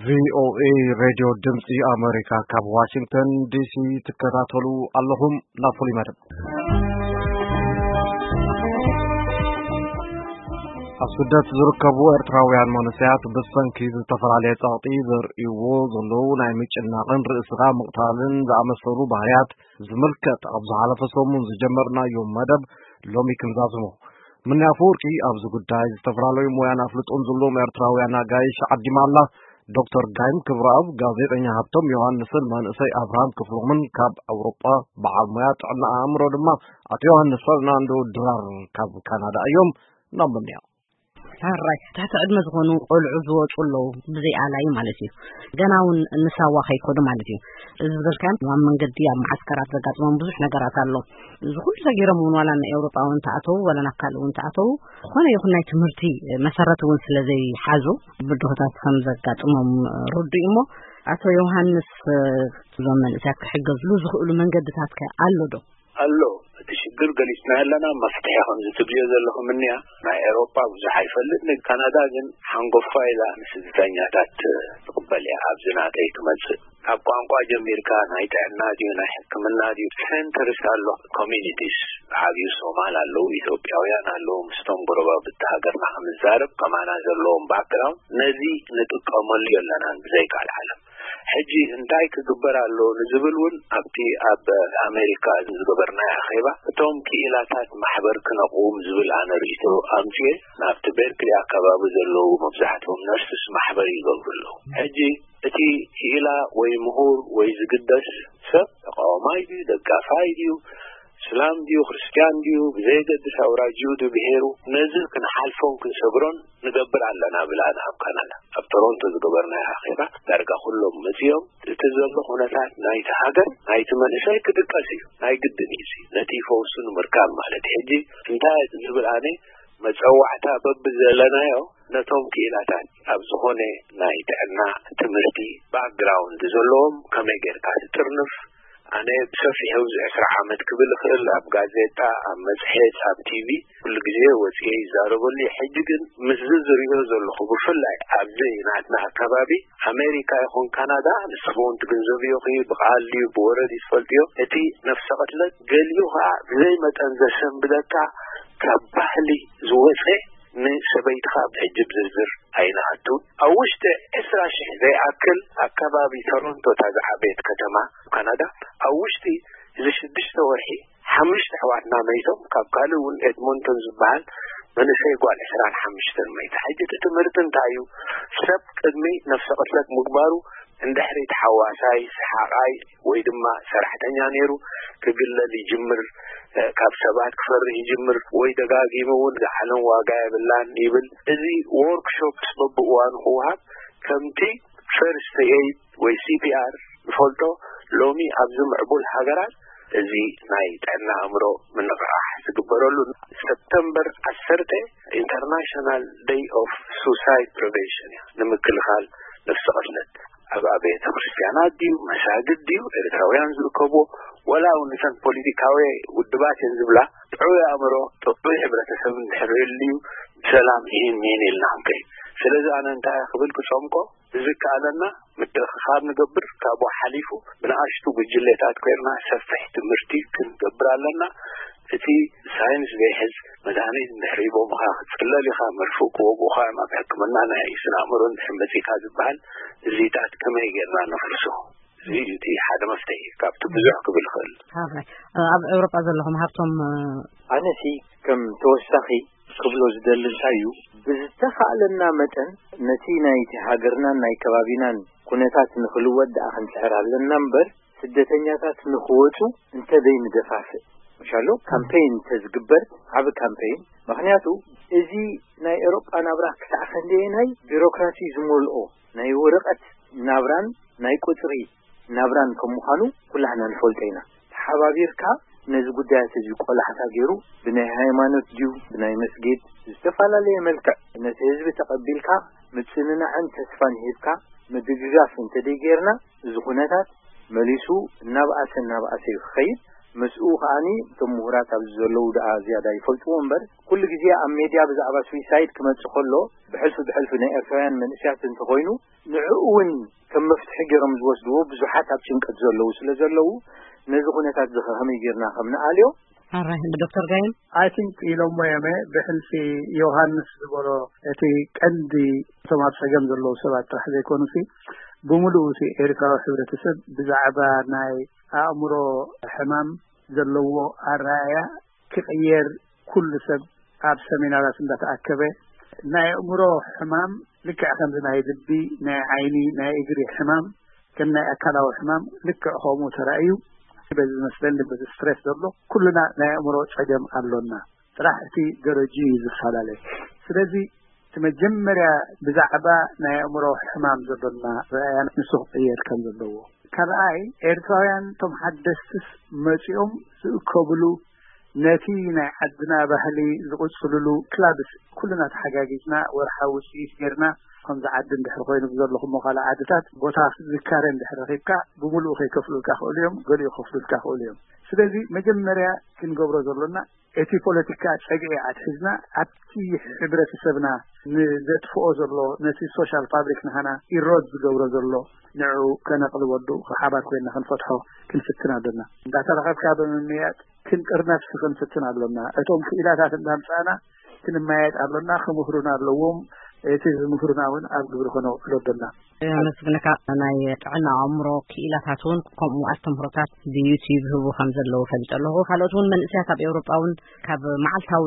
ቪኦኤ ሬድዮ ድምፂ ኣሜሪካ ካብ ዋሽንግተን ዲሲ ትከታተሉ ኣለኹም። ናብ ፍሉይ መደብ። ኣብ ስደት ዝርከቡ ኤርትራውያን መንእሰያት ብሰንኪ ዝተፈላለየ ጸቕጢ ዘርእይዎ ዘለዉ ናይ ምጭናቕን ርእስኻ ምቕታልን ዝኣመሰሉ ባህርያት ዝምልከት ኣብ ዝሓለፈ ሰሙን ዝጀመርናዮ መደብ ሎሚ ክንዛዝሞ። ምንያ ኣፈወርቂ ኣብዚ ጉዳይ ዝተፈላለዩ ሞያን ኣፍልጦን ዘለዎም ኤርትራውያን ኣጋይሽ ዓዲማ ኣላ። ዶክተር ጋይም ክብረኣብ፣ ጋዜጠኛ ሃብቶም ዮሃንስን መንእሰይ ኣብርሃም ክፍሎምን ካብ ኣውሮጳ፣ በዓል ሞያ ጥዕና ኣእምሮ ድማ ኣቶ ዮሃንስ ፈርናንዶ ድራር ካብ ካናዳ እዮም። ናብ ምንያ። ሕራይ ትሕቲ ዕድመ ዝኾኑ ቆልዑ ዝወፁ ኣለዉ፣ ብዘይ ኣላይ ማለት እዩ። ገና እውን ንሳዋ ከይከዱ ማለት እዩ። እዚ ዝበልካዮም ኣብ መንገዲ ኣብ መዓስከራት ዘጋጥሞም ብዙሕ ነገራት ኣሎ። እዚ ኩሉ ሰጊሮም እውን ዋላ ንኤውሮጳ እውን ተኣተዉ ዋላ ናብ ካልእ እውን ተኣተዉ፣ ዝኾነ ይኹን ናይ ትምህርቲ መሰረት እውን ስለ ዘይሓዙ ብድሆታት ከም ዘጋጥሞም ርዱእ እዩ። እሞ ኣቶ ዮሃንስ፣ እዞም መንእሰያት ክሕገዝሉ ዝኽእሉ መንገድታት ከ ኣሎ ዶ? ኣሎ። እቲ ሽግር ገሊጽና ኣለና፣ መፍትሒ ከምዚ ትብልዮ ዘለኹም እኒኣ። ናይ ኤውሮጳ ብዙሕ ኣይፈልጥን፣ ካናዳ ግን ሓንጎፋ ኢላ ንስደተኛታት ትቕበል እያ። ኣብዚ ናተይ ክመጽእ ካብ ቋንቋ ጀሚርካ ናይ ጥዕና ድዩ ናይ ሕክምና ድዩ ሴንተርስ ኣሎ፣ ኮሚኒቲስ ዓብዩ ሶማል ኣለዉ፣ ኢትዮጵያውያን ኣለዉ፣ ምስቶም ጎረባብቲ ሃገርና ክምዛረብ ከማና ዘለዎም ባክግራውንድ ነዚ ንጥቀመሉ ኣለናን ብዘይ ካልዓለም። ሕጂ እንታይ ክግበር ኣሎ ንዝብል እውን ኣብቲ ኣብ ኣሜሪካ ዝገበርናዮ ኣኼባ እቶም ክኢላታት ማሕበር ክነቕውም ዝብል ኣነ ርእይቶ ኣምፅኤ ናብቲ ቤርክሊ ኣካባቢ ዘለዉ መብዛሕትኦም ነርስስ ማሕበር ይገብሩ ኣለዉ። ሕጂ እቲ ክኢላ ወይ ምሁር ወይ ዝግደስ ሰብ ተቃዋማይ ድዩ ደጋፋይ ድዩ እስላም ድዩ ክርስትያን ድዩ ብዘየገድስ ኣውራጅኡ ድዩ ብሄሩ ነዚ ክንሓልፎን ክንሰግሮን ንገብር ኣለና ብላና ኣብ ካናዳ ኣብ ቶሮንቶ ዝገበርናዮ ኣኼባ ዳርጋ ኩሎም መፅኦም። እቲ ዘሎ ኩነታት ናይቲ ሃገር ናይቲ መንእሰይ ክድቀስ እዩ፣ ናይ ግድን እዩ። ነቲ ፈውሱ ንምርካብ ማለት ሕጂ እንታይ ዝብል ኣነ መፀዋዕታ በብዘለናዮ ነቶም ክኢላታት ኣብ ዝኾነ ናይ ጥዕና ትምህርቲ ባክግራውንድ ዘለዎም ከመይ ጌርካ ትጥርንፍ። ኣነ ብሰፊሑ ኣብዚ ዕስራ ዓመት ክብል እኽእል ኣብ ጋዜጣ ኣብ መፅሄት ኣብ ቲቪ ኩሉ ግዜ ወፅየ ይዛረበሉ እየ። ሕጂ ግን ምስዚ ዝሪኦ ዘለኹ ብፍላይ ኣብዚ ናትና ኣካባቢ ኣሜሪካ ይኹን ካናዳ ንስኹም እውን ትግንዘብዮ ኺ ብቃል ድዩ ብወረ ድዩ ትፈልጥዮ እቲ ነፍሰ ቅትለት ገሊኡ ከዓ ብዘይ መጠን ዘሰንብደካ ካብ ባህሊ ዝወፀ ንሰበይትኻ ሕጂ ብዝርዝር ኣይንኣቱን ኣብ ውሽጢ ዕስራ ሽሕ ዘይኣክል ኣካባቢ ቶሮንቶ እታ ዝዓበየት ከተማ ካናዳ ኣብ ውሽጢ እዚ ሽዱሽተ ወርሒ ሓሙሽተ ኣሕዋትና መይቶም ካብ ካልእ እውን ኤድሞንቶን ዝበሃል መንእሰይ ጓል ዕስራን ሓሙሽተን መይታ። ሕጂ እቲ ትምህርቲ እንታይ እዩ? ሰብ ቅድሚ ነፍሰ ቅትለት ምግባሩ እንድሕሪ ተሓዋሳይ ሰሓቓይ ወይ ድማ ሰራሕተኛ ነይሩ ክግለል ይጅምር፣ ካብ ሰባት ክፈርህ ይጅምር ወይ ደጋጊሙ እውን ዝዓለም ዋጋ የብላን ይብል። እዚ ዎርክሾፕስ በብእዋኑ ክወሃብ ከምቲ ፈርስት ኤይድ ወይ ሲፒኣር ንፈልጦ ሎሚ ኣብዚ ምዕቡል ሃገራት እዚ ናይ ጥዕና ኣእምሮ ምንቕራሕ ዝግበረሉ ሰፕተምበር ዓሰርተ ኢንተርናሽናል ደይ ኦፍ ሱሳይድ ፕሪቨንሽን እያ ንምክልኻል ነፍሲ ቅትለት ኣብ ኣብያተ ክርስቲያናት ድዩ መሳግድ ድዩ ኤርትራውያን ዝርከብዎ ወላ እውን እተን ፖለቲካዊ ውድባት እየን ዝብላ ጥዑይ ኣእምሮ ጥዑይ ሕብረተሰብ እንድሕር ህልዩ ብሰላም ይህን ሚን ኢልና ክንከይድ ስለዚ ኣነ እንታይ ክብል ክፀምቆ ብዝከኣለና ምትእኽኻብ ንገብር ካብኡ ሓሊፉ ብንኣሽቱ ጉጅሌታት ኮይርና ሰፊሕ ትምህርቲ ክንገብር ኣለና እቲ ሳይንስ ዘይሕዝ መድሃኒት እንድሕር ሂቦምኻ ክትፅለል ኢኻ መርፍእ ክወግኡኻ እዮም ኣብ ሕክምና ናይ ስነ ኣእምሮ እንድሕር መፂእካ ዝበሃል እዚታት ከመይ ጌርና ነፍርሶ እዚ እቲ ሓደ መፍትሒ ካብቲ ብዙሕ ክብል ይኽእል ኣብ ኤውሮጳ ዘለኹም ሃብቶም ኣነሲ ከም ተወሳኺ ክብሎ ዝደሊ እንታይ እዩ ብዝተኻእለና መጠን ነቲ ናይቲ ሃገርናን ናይ ከባቢናን ኩነታት ንኽልወጥ ደኣ ክንጽዕር ኣለና እምበር ስደተኛታት ንኽወጹ እንተዘይንደፋፍእ ምሻሎ ካምፔይን እንተዝግበር ዓቢ ካምፔይን ምኽንያቱ እዚ ናይ ኤሮጳ ናብራ ክሳዕ ክንደየናይ ቢሮክራሲ ዝመልኦ ናይ ወረቐት ናብራን ናይ ቁጽሪ ናብራን ከም ምዃኑ ኩላህና ንፈልጦ ኢና። ተሓባቢርካ ነዚ ጉዳያት እዚ ቆላሕታ ገይሩ ብናይ ሃይማኖት ድዩ ብናይ መስጊድ ብዝተፈላለየ መልክዕ ነቲ ህዝቢ ተቐቢልካ ምጽንናዕን ተስፋን ሂብካ ምድግጋፍ እንተደይ ገይርና እዚ ኩነታት መሊሱ እናብኣሰ እናብኣሰ እዩ ክኸይድ። ምስኡ ከዓኒ እቶም ምሁራት ኣብዚ ዘለዉ ደኣ ዝያዳ ይፈልጥዎ እምበር፣ ኩሉ ግዜ ኣብ ሜድያ ብዛዕባ ስዊሳይድ ክመጽእ ከሎ፣ ብሕልፊ ብሕልፊ ናይ ኤርትራውያን መንእሰያት እንተኾይኑ፣ ንዕኡ እውን ከም መፍትሒ ገይሮም ዝወስድዎ ብዙሓት ኣብ ጭንቀት ዘለዉ ስለ ዘለዉ፣ ነዚ ኩነታት እዚ ከ ከመይ ጌርና ከም ንኣልዮ? ኣራይ፣ ዶክተር ጋይም? I think ኢሎሞ የመ ብሕልፊ ዮሃንስ ዝበሎ፣ እቲ ቀንዲ እቶም ኣብ ጸገም ዘለዉ ሰባት ጥራሕ ዘይኮኑሲ፣ ብምሉኡ እቲ ኤርትራዊ ሕብረተሰብ ብዛዕባ ናይ ኣእምሮ ሕማም ዘለዎ ኣረኣእያ ክቕየር፣ ኩሉ ሰብ ኣብ ሰሚናራት እንዳተኣከበ፣ ናይ ኣእምሮ ሕማም ልክዕ ከምዚ ናይ ልቢ፣ ናይ ዓይኒ፣ ናይ እግሪ ሕማም፣ ከም ናይ ኣካላዊ ሕማም ልክዕ ከምኡ ተራእዩ፣ በዚ ዝመስለኒ በዚ ስትሬስ ዘሎ ኩሉና ናይ ኣእምሮ ጸገም ኣሎና። ጥራሕ እቲ ደረጅ እዩ ዝፈላለ። ስለዚ እቲ መጀመርያ ብዛዕባ ናይ ኣእምሮ ሕማም ዘሎና ረኣያ ንሱ ክቕየር ከም ዘለዎ። ካልኣይ፣ ኤርትራውያን እቶም ሓደስቲስ መጺኦም ዝእከብሉ፣ ነቲ ናይ ዓድና ባህሊ ዝቕጽልሉ ክላብስ ኩልና ተሓጋጊዝና ወርሓዊ ውጽኢት ጌርና፣ ከምዚ ዓዲ እንድሕር ኮይኑ ብዘለኹሞ ካልእ ዓድታት ቦታ ዝካረ እንድሕር ረኺብካ፣ ብምሉኡ ከይከፍሉልካ ክእሉ እዮም፣ ገሊኡ ከፍሉልካ ክእሉ እዮም። ስለዚ መጀመርያ ክንገብሮ ዘሎና፣ እቲ ፖለቲካ ጸግዒ ኣትሒዝና፣ ኣብቲ ሕብረተሰብና ንዘጥፍኦ ዘሎ፣ ነቲ ሶሻል ፋብሪክ ንሃና ኢሮድ ዝገብሮ ዘሎ፣ ንዕኡ ከነቕልበሉ፣ ብሓባር ኮይንና ክንፈትሖ ክንፍትን ኣለና። እንዳተራኸብካ ብምምያጥ ክንጥርነፍ ክንፍትን ኣሎና። እቶም ክኢላታት እንዳምጻእና ክንመያየጥ ኣሎና። ክምህሩና ኣለዎም። እቲ ዝምህሩና እውን ኣብ ግብሪ ከነውዕሎ ኣሎና። የመስግነካ። ናይ ጥዕና ኣእምሮ ክኢላታት እውን ከምኡ ኣስተምህሮታት ብዩቲዩብ ህቡ ከም ዘለዉ ፈሊጠ ኣለኹ። ካልኦት እውን መንእሰያት ኣብ ኤውሮጳ እውን ካብ መዓልታዊ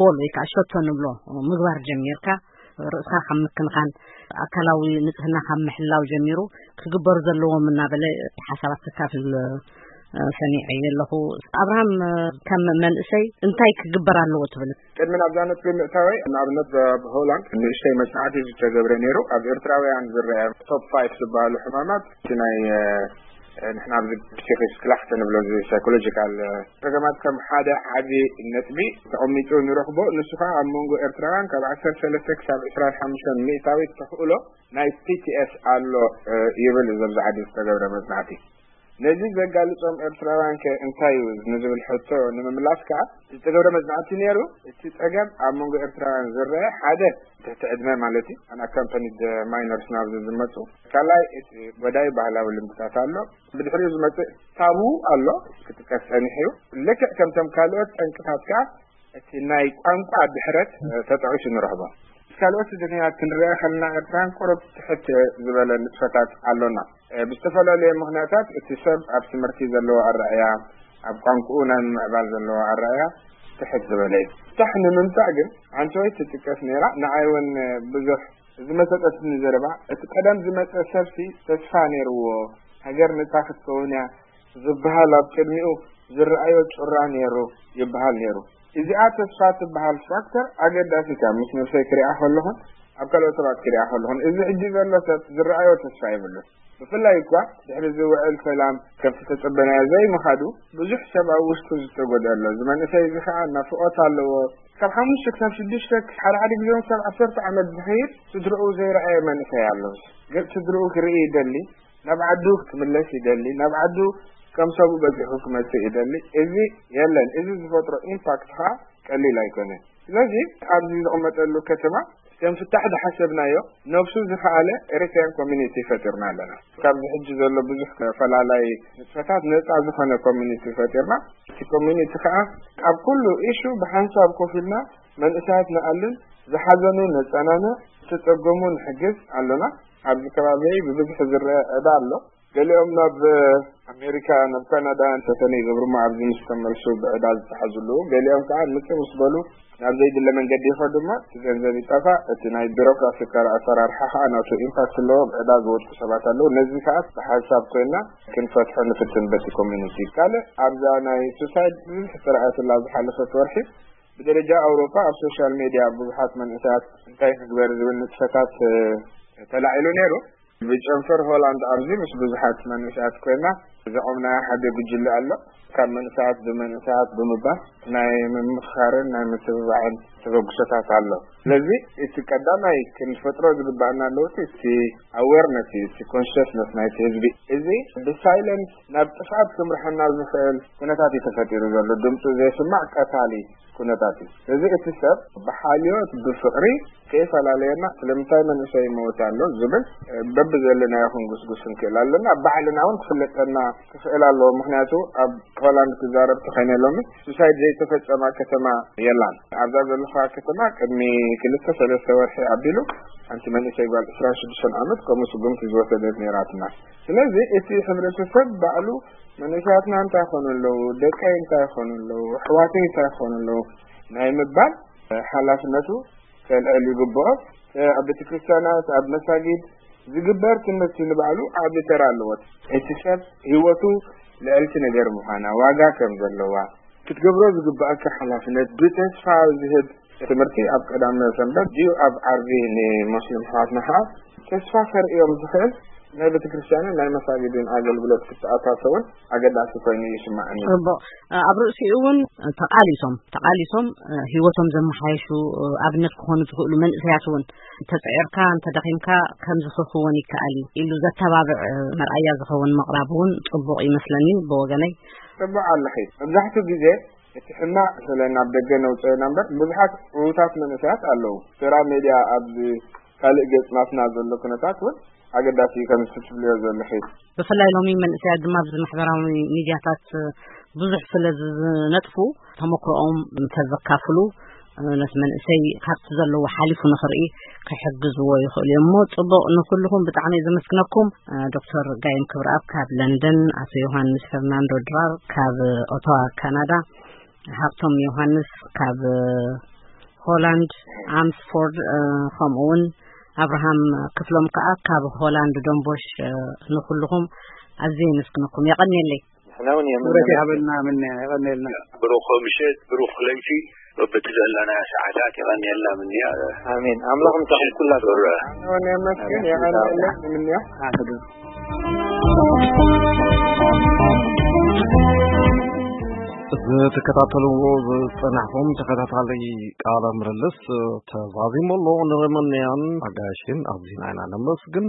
ጎል ወይ ከዓ ሸቶ ንብሎ ምግባር ጀሚርካ፣ ርእስኻ ካብ ምክንኻን፣ ኣካላዊ ንጽህና ካብ ምሕላው ጀሚሩ ክግበሩ ዘለዎም እናበለ ሓሳባት ክካፍል፣ እ፣ ሰሚዐ ኣለኹ። ኣብርሃም፣ እ፣ ከም መንእሰይ እንታይ ክግበር ኣለዎ ትብል? ቅድሚ ናብዛ ነጥቢ ምእታወይ፣ ንኣብነት ኣብ ሆላንድ ንእሽተይ መጽናዕቲ ዝተገብረ ነይሩ። ኣብ ኤርትራውያን ዝረአ ቶፕ ፋይቭ ዝበሃሉ ሕማማት፣ እቲ ናይ፣ እ፣ ንሕና ኣብዚ ፒሲክስ ክላክተ ንብሎ፣ እዚ ሳይኮሎጂካል፣ እ፣ ጸገማት ከም ሓደ ዓቢ ነጥቢ ተቐሚጡ ንረኽቦ። ንሱ ኸኣ ኣብ መንጎ ኤርትራውያን ካብ ዓሰርተ ሰለስተ ክሳብ ዕስራን ሓሙሽተን ሚእታዊት ተኽእሎ ናይ ፒ ቲ ኤስ ኣሎ፣ እ፣ ይብል እዚ ኣብዚ ዓዲ ዝተገብረ መጽናዕቲ። ነዚ ዘጋልጾም ኤርትራውያን ከ እንታይ እዩ ንዝብል ሕቶ ንምምላስ ከኣ፣ ዝተገብረ መጽናዕቲ ነይሩ። እቲ ጸገም ኣብ መንጎ ኤርትራውያን ዝረአ፣ ሓደ፣ ትሕቲ ዕድመ ማለት እዩ፣ ኣን ኣካምፓኒድ ማይነርስ ናብዚ ዝመጹ። ካልኣይ፣ እቲ ጎዳኢ ባህላዊ ልምድታት ኣሎ። ብድሕሪኡ ዝመጽእ ታቡ ኣሎ፣ ክጥቀስ ጸኒሑ እዩ። ልክዕ ከምቶም ካልኦት ጠንቅታት ከኣ፣ እቲ ናይ ቋንቋ ድሕረት፣ እ፣ ተጠቒሱ ንረኽቦ። ካልኦት ስደተኛታት ክንርአ ከለና፣ ኤርትራን ቁሩብ ትሕት ዝበለ ንጥፈታት ኣሎና። እ፣ ብዝተፈላለየ ምኽንያታት እቲ ሰብ ኣብ ትምህርቲ ዘለዎ ኣረኣእያ፣ ኣብ ቋንቋኡ ናይ ምምዕባል ዘለዎ ኣረኣእያ ትሕት ዝበለ እዩ። ታሕ ንምምጻእ ግን፣ ሓንቲ ወይ ትጥቀስ ነይራ፣ ንዓይ እውን ብዙሕ ዝመሰጠትኒ ዘረባ፣ እቲ ቀደም ዝመጸ ሰብሲ ተስፋ ነይርዎ፣ ሃገር ነጻ ክትከውን እያ ዝበሃል ኣብ ቅድሚኡ ዝረኣዮ ጩራ ነይሩ ይበሃል ነይሩ። እዚኣ ተስፋ ትበሃል ፋክተር ኣገዳሲት እያ፣ ምስ ነብሰይ ክሪኣ ከለኹን ኣብ ካልኦት ሰባት ክሪኣ ከለኹን። እዚ ሕጂ ዘሎ ሰብ ዝረኣዮ ተስፋ የብሉን። ብፍላይ እኳ ድሕሪ እዚ ውዕል ሰላም ከምቲ ተጸበናዮ ዘይምኻዱ፣ ብዙሕ ሰብ ኣብ ውሽጡ ዝተጎድአ ኣሎ። እዚ መንእሰይ እዚ ኸኣ ናፍቖት ኣለዎ። ካብ ሓሙሽተ ክሳብ ሽዱሽተ፣ ሓደ ሓደ ግዜ እውን ክሳብ ዓሰርተ ዓመት ዝኸይድ ስድርኡ ዘይረኣየ መንእሰይ ኣሎ። ገጽ ስድርኡ ክርኢ ይደሊ፣ ናብ ዓዱ ክምለስ ይደሊ፣ ናብ ዓዱ ከም ሰቡ በጺሑ ክመጽእ ይደሊ። እዚ የለን። እዚ ዝፈጥሮ ኢምፓክት ኸኣ ቀሊል ኣይኮነን። ስለዚ ኣብዚ ዝቕመጠሉ ከተማ ከም ፍታሕ ዝሓሰብናዮ፣ ነብሱ ዝኸኣለ ኤሪትሪያን ኮሚኒቲ ፈጢርና ኣለና። ካብዚ ሕጂ ዘሎ ብዙሕ ፈላላይ ንጥፈታት ነጻ ዝኾነ ኮሚኒቲ ፈጢርና፣ እቲ ኮሚኒቲ ከኣ ኣብ ኩሉ ኢሹ ብሓንሳብ ኮፍ ኢልና መንእሰያት ንኣልን፣ ዝሓዘኑ ነጸናንዕ፣ ዝተጸገሙ ንሕግዝ ኣሎና። ኣብዚ ከባቢ ብብዝሒ ዝረአ ዕዳ ኣሎ። ገሊኦም ናብ ኣሜሪካ፣ ናብ ካናዳ እንተተነ ይገብሩ እሞ ኣብዚ ምስ ተመልሱ ብዕዳ ዝተሓዙ ኣለዉ። ገሊኦም ከኣ ንጽር ምስ በሉ ናብ ዘይድለ መንገዲ ይኸዱ እሞ እቲ ገንዘብ ይጠፋእ። እቲ ናይ ቢሮክራሲ ኣሰራርሓ ከኣ ናቱ ኢምፓክት ኣለዎ። ብዕዳ ዝወድቁ ሰባት ኣለዉ። ነዚ ከኣ ብሓንሳብ ኮይና ክንፈትሖ ንፍትን በቲ ኮሚኒቲ። ካልእ ኣብዛ ናይ ሱሳይድ ብዙሕ ተራእየትላ ዝሓለፈት ወርሒ ብደረጃ ኣውሮፓ ኣብ ሶሻል ሜድያ ብዙሓት መንእሰያት እንታይ ንግበር ዝብል ንጥፈታት፣ እ፣ ተላዒሉ ነይሩ። ብጨንፈር ሆላንድ ኣብዚ ምስ ብዙሓት መንእሰያት ኮይና ዘቖምናዮ ሓደ ጉጅለ ኣሎ። ካብ መንእሰያት ብመንእሰያት ብምባል ናይ ምምኽኻርን ናይ ምትብባዕን ተበግሶታት ኣሎ። ስለዚ እቲ ቀዳማይ ክንፈጥሮ ዝግባኣና ለውጢ እቲ ኣዌርነስ እዩ፣ እቲ ኮንሽስነስ ናይቲ ህዝቢ። እዚ ብሳይለንስ ናብ ጥፍኣት ክምርሐና ዝኽእል ኩነታት እዩ ተፈጢሩ ዘሎ። ድምፁ ዘይስማዕ ቀታሊ ኩነታት እዩ። ስለዚ እቲ ሰብ ብሓልዮት ብፍቕሪ ከይፈላለየና ስለምንታይ መንእሰይ ይመውት ኣሎ ዝብል በብዘለናዮ ክንጉስጉስ ንክእል ኣለና። ባዕልና እውን ክፍለጠና ክኽእል ኣለዎ። ምክንያቱ ኣብ ሆላንድ ክዛረብ ተኸይነ ሎሚ ሱሳይድ ዘይተፈጸማ ከተማ የላን። ኣብዛ ዘለኻ ከተማ ቅድሚ ክልተ ሰለስተ ወርሒ ኣቢሉ ሓንቲ መንእሰይ ጓል ዕስራን ሽዱሽተን ዓመት ከምኡ ስጉምቲ ዝወሰደት ነይራትና። ስለዚ እቲ ሕብረተሰብ ባዕሉ መንእሰያትና እንታይ ይኾኑ ኣለዉ፣ ደቀይ እንታይ ይኾኑ ኣለዉ፣ ኣሕዋተይ እንታይ ይኾኑ ኣለዉ ናይ ምባል ሓላፍነቱ ከልዕል ይግብኦ። ኣብ ቤተክርስትያናት፣ ኣብ መሳጊድ ዝግበር ትምህርቲ ንባዕሉ ዓቢ ተራ ኣለዎ። እቲ ሰብ ህይወቱ ልዕልቲ ነገር ምዃና፣ ዋጋ ከም ዘለዋ፣ ክትገብሮ ዝግባኣካ ሓላፍነት ብተስፋ ዝህብ ትምህርቲ ኣብ ቀዳመ ሰንበት ድዩ ኣብ ዓርቢ ንሞስሊም ኣሕዋትና ኸዓ ተስፋ ከርእዮም ዝኽእል ናይ ቤተክርስትያንን ናይ መሳጊድን ኣገልግሎት ክተኣታተውን ኣገዳሲ ኮይኑ ይስማዓኒ። ጽቡቕ። ኣብ ርእሲኡ እውን ተቓሊሶም፣ ተቓሊሶም፣ እ፣ ህይወቶም ዘመሓየሹ፣ እ፣ ኣብነት ክኾኑ ዝኽእሉ መንእሰያት እውን እንተጸዒርካ፣ እንተደኺምካ ከም ዝኽኽውን ይከኣል እዩ ኢሉ ዘተባብዕ፣ እ፣ መርኣያ ዝኸውን ምቕራብ እውን ጽቡቕ ይመስለኒ ብወገነይ። ጽቡቕ ኣለኺ። መብዛሕትኡ ግዜ እቲ ሕማቕ ስለ ናብ ደገ ነውጽኦ ኢና እምበር፣ ብዙሓት ዕዉታት መንእሰያት ኣለዉ። ስራ ሜድያ ኣብዚ ካልእ ገጽ ናትና ዘሎ ኩነታት እውን ኣገዳሲ እዩ፣ ከምዚ ትብልዮ ዘለኺ። ብፍላይ ሎሚ መንእሰያት ድማ ኣብዚ ማሕበራዊ ሚድያታት ብዙሕ ስለ ዝነጥፉ፣ ተመክሮኦም እንተዘካፍሉ፣ ነቲ መንእሰይ ካብቲ ዘለዎ ሓሊፉ ንኽርኢ ክሕግዝዎ ይኽእሉ እዮም። እሞ ጽቡቕ፣ ንኹልኹም ብጣዕሚ እየ ዘመስግነኩም። ዶክተር ጋይም ክብረኣብ ካብ ለንደን፣ ኣቶ ዮሃንስ ፈርናንዶ ድራር ካብ ኦቶዋ ካናዳ፣ ሃብቶም ዮሃንስ ካብ ሆላንድ ኣምስፎርድ፣ እ፣ ከምኡ እውን ኣብርሃም ክፍሎም ከኣ ካብ ሆላንድ ዶንቦሽ፣ እ፣ ንኹልኹም ኣዝየ የመስግነኩም። የቐንየለይ። ንሕና እውን የመስግን። ክብረት ይሃበልና ምንያ፣ የቐንየልና። ብሩኽ ምሸት፣ ብሩኽ ለይቲ፣ በብቲ ዘለናዮ ሰዓታት የቐንየልና ምንያ። ኣሜን። ኣምላኽ ምሳኹም ኩላትኩም። ኣነ እውን የመስግን፣ የቐንየለይ ምንያ። ኣሜን። እዚ ትከታተልዎ ዝጸናሕኩም ተኸታታሊ ቃለ ምልልስ ተዛዚሙ ኣሎ። ንመንያን ኣጋይሽን ኣዚና ኢና ነመስግን።